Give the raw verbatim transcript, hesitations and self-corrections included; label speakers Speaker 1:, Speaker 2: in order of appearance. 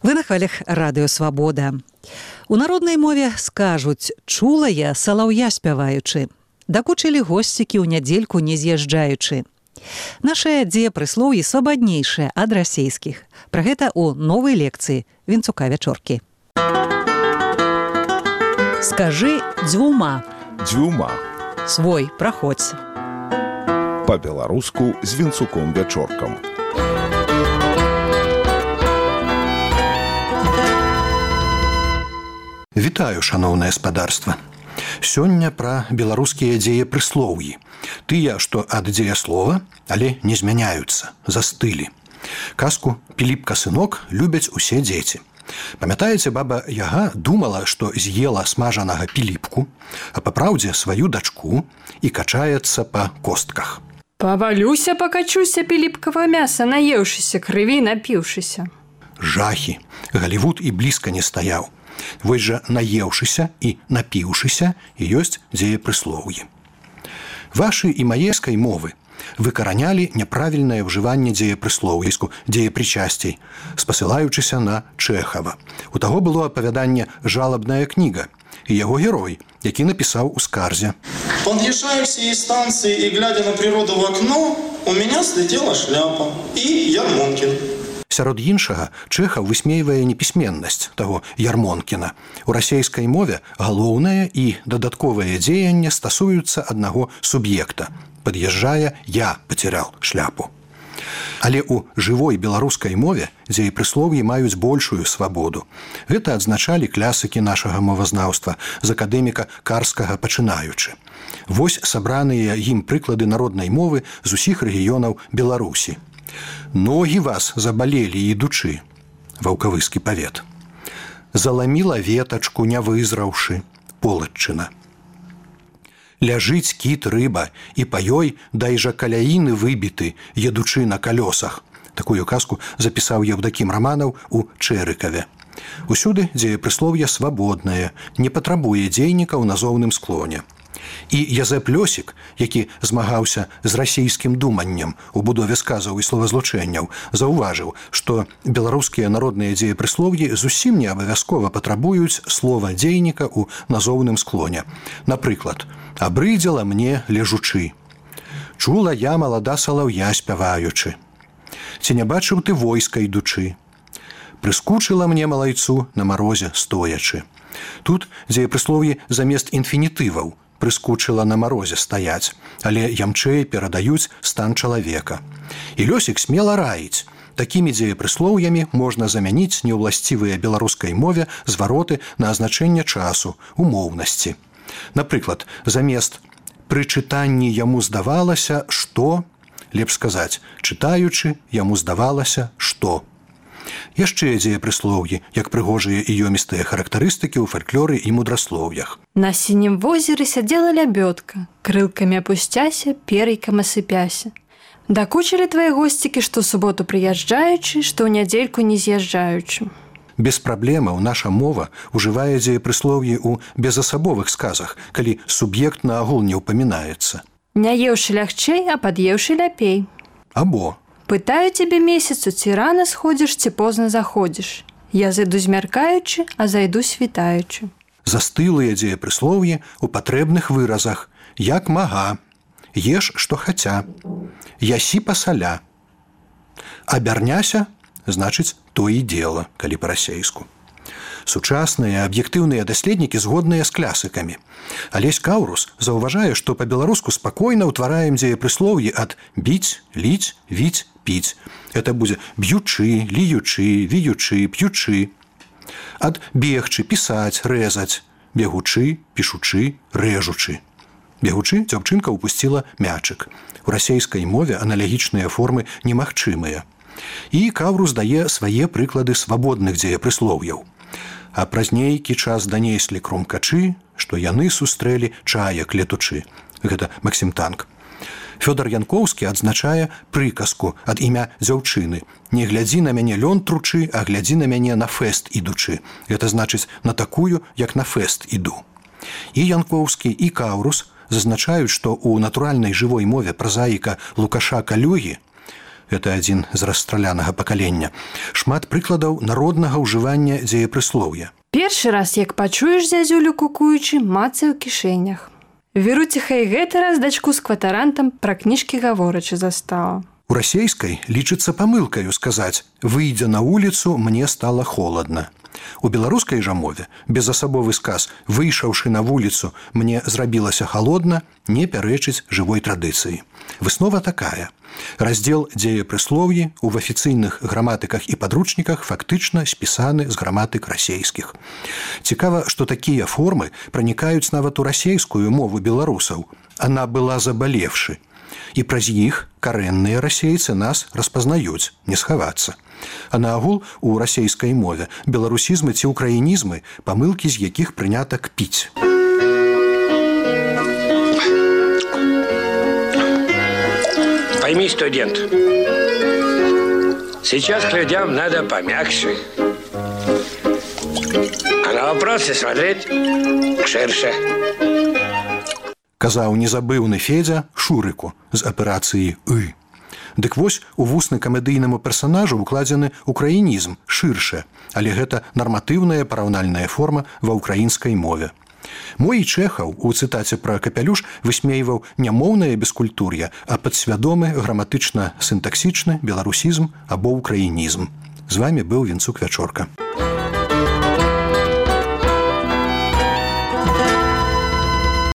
Speaker 1: Вы на хвалях радыё Свабода. У народнай мове скажуць: чула я салаўя спяваючы. Дакучылі госцікі ў нядзельку не з'язджаючы. Нашыя дзеепрыслоўі свабаднейшыя ад расейскіх. Пра гэта ў новай лекцыі Вінцука Вячоркі. Скажы дзвюма.
Speaker 2: Дзвюма.
Speaker 1: Свой, праходзь.
Speaker 2: Па-беларуску з Вінцуком Вячоркам.
Speaker 3: Вітаю, шаноўнае спадарства. Сёння пра беларускія дзеепрыслоўі. Тыя, што ад дзеяслова, але не змяняюцца, застылі. Казку «Піліпка сынок» любяць усе дзеці. Памятаеце, баба Яга думала, што з'ела смажанага піліпку, а папраўдзе сваю дачку і качаецца па костках.
Speaker 4: Павалюся, пакачуся піліпкава мяса, наеўшыся, крыві напіўшыся.
Speaker 3: Жахі. Галівуд і блізка не стаяў. Вось жа наеўшыся і напіўшыся і ёсць дзеепрыслоўі. Вашы і маескай мовы выкаранялі няправільнае ўжыванне дзеепрыслоўіску, дзеепрычасцей, спасылаючыся на Чэхава. У таго было апавяданне «Жалабная кніга» і яго герой, які напісаў у скарзе:
Speaker 5: «Подъезжаю к сей станции и, глядя на природу в окно, у меня слетела шляпа и Ярмонкин».
Speaker 3: Сярод іншага, Чэхаў высмейвае непісьменнасць таго Ярмонкіна. У расейскай мове галоўнае і дадатковае дзеянне стасуюцца аднаго суб'екта. Пад'язджае «я пацерял шляпу». Але ў жывой беларускай мове дзеепрыслоўі маюць большую свабоду. Гэта адзначалі клясыкі нашага мовазнаўства, з акадэміка Карскага пачынаючы. Вось сабраныя ім прыклады народнай мовы з усіх рэгіёнаў Беларусі. «Ногі вас забалелі, ідучы» – ваўкавыскі павет. «Заламіла ветачку, не вызраўшы» – Полаччына. «Ляжыць кіт рыба, і па ёй дай жа каляіны выбіты, едучы на калёсах» – такую казку запісаў Евдакім Раманаў у Чэрыкаве. Усюды дзеепрыслоўе свабоднае, не патрабуе дзейніка ў назоўным склоне. І Язэп Лёсік, які змагаўся з расійскім думаннем у будове сказаў і словазлучэнняў, заўважыў, што беларускія народныя дзеепрыслоўі зусім не абавязкова патрабуюць слова дзейніка ў назоўным склоне. Напрыклад, «Абрыдзела мне лежучы», «Чула я малада салаўя спяваючы», «Ці не бачыў ты войска ідучы», «Прыскучыла мне малайцу на марозе стоячы». Тут дзеепрыслоўі замест інфінітываў «прыскучыла на марозе стаяць», але ямчэй перадаюць стан чалавека. І Лёсік смела раіць. Такімі дзеепрыслоўямі можна замяніць неўласцівыя беларускай мове звароты на азначэнне часу, умоўнасці. Напрыклад, замест «пры чытанні яму здавалася, што», лепш сказаць «чытаючы, яму здавалася, што». Яшчэ дзеепрыслоўі, як прыгожыя і ёмістыя характарыстыкі ў фальклоры і мудраслоўях.
Speaker 4: На сінім возеры сядзела лябёдка, крылкамі апусцяся, пер'йкам асыпяся. Дакучылі твае госцікі, што суботу прыязджаючы, што ў нядзельку не з'язджаючы.
Speaker 3: Без праблемаў наша мова ўжывае дзеепрыслоўі ў безасабовых сказах, калі суб'ект наогул не ўпамінаецца.
Speaker 4: Не еўшы лягчэй, а пад'еўшы ляпей.
Speaker 3: Або
Speaker 4: «Пытаю цябе месяцу, ці рана сходзіш, ці позна заходзіш. Я зайду змяркаючы, а зайду світаючы».
Speaker 3: Застылыя дзеепрыслоўі ў патрэбных выразах, як мага, еш, што хаця, ясі пасаля. Абярняся, значыць, то і дзела, калі па-расейску. Сучасныя аб'ектыўныя даследнікі згодныя з клясыкамі. Алесь Каўрус заўважае, што па-беларуску спакойна ўтвараем дзеепрыслоўі ад біць, ліць, віць, піць. Это будзе б'ючы, ліючы, віючы, п'ючы. Ад бегчы, пісаць, рэзаць, бегучы, пішучы, рэжучы. Бегучы дзяўчынка ўпусціла мячык. У расейскай мове аналагічныя формы немагчымыя. І Каўрус дае свае прыклады свабодных дзеепрыслоўяў. А праз нейкі час данеслі крумкачы, што яны сустрэлі чаек летучы. Гэта Максім Танк. Фёдар Янкоўскі адзначае прыказку ад імя дзяўчыны. Не глядзі на мяне лён тручы, а глядзі на мяне на фэст ідучы. Гэта значыць на такую, як на фэст іду. І Янкоўскі, і Каўрус зазначаюць, што ў натуральнай жывой мове празаіка Лукаша Калюгі это адзін з расстралянага пакалення, шмат прыкладаў народнага ўжывання дзеепрыслоўя.
Speaker 4: Першы раз, як пачуеш зязюлю кукуючы, мацай у кішэнях. Веруціха і гэты раз дачку з кватарантам пра кніжкі гаворачы застала.
Speaker 3: У расейскай лічыцца памылкаю сказаць «выйдзя на вуліцу, мне стала холадна». У беларускай жа мове безасабовы сказ «выйшаўшы на вуліцу, мне зрабілася халодна» не пярэчыць жывой традыцыі. Выснова такая. Раздзел дзеепрыслоўі ў афіцыйных граматыках і падручніках фактычна спісаны з граматык расейскіх. Цікава, што такія формы пранікаюць нават у расейскую мову беларусаў. Она была забалевшы. І праз іх карэнныя расейцы нас распазнаюць, не схавацца. А наогул у расейскай мове беларусізмы ці украінізмы, памылкі з якіх прынята кпіць.
Speaker 6: Пойми, студент, сейчас к людям надо помягче, а на вопросы смотреть ширше.
Speaker 3: Казаў незабыўны Федзя Шурыку з аперацыі «ы». Дык вось у вусны камедыйнаму персанажу укладзены украінізм шырше, але гэта нарматыўная параўнальная форма ва ўкраінскай мове. Мой Чэхаў у цытаце пра капялюш высмейваў не моўнае бескультур'е, а падсвядомы граматычна-сінтаксічны беларусізм або ўкраінізм. З вамі быў Вінцук Вячорка.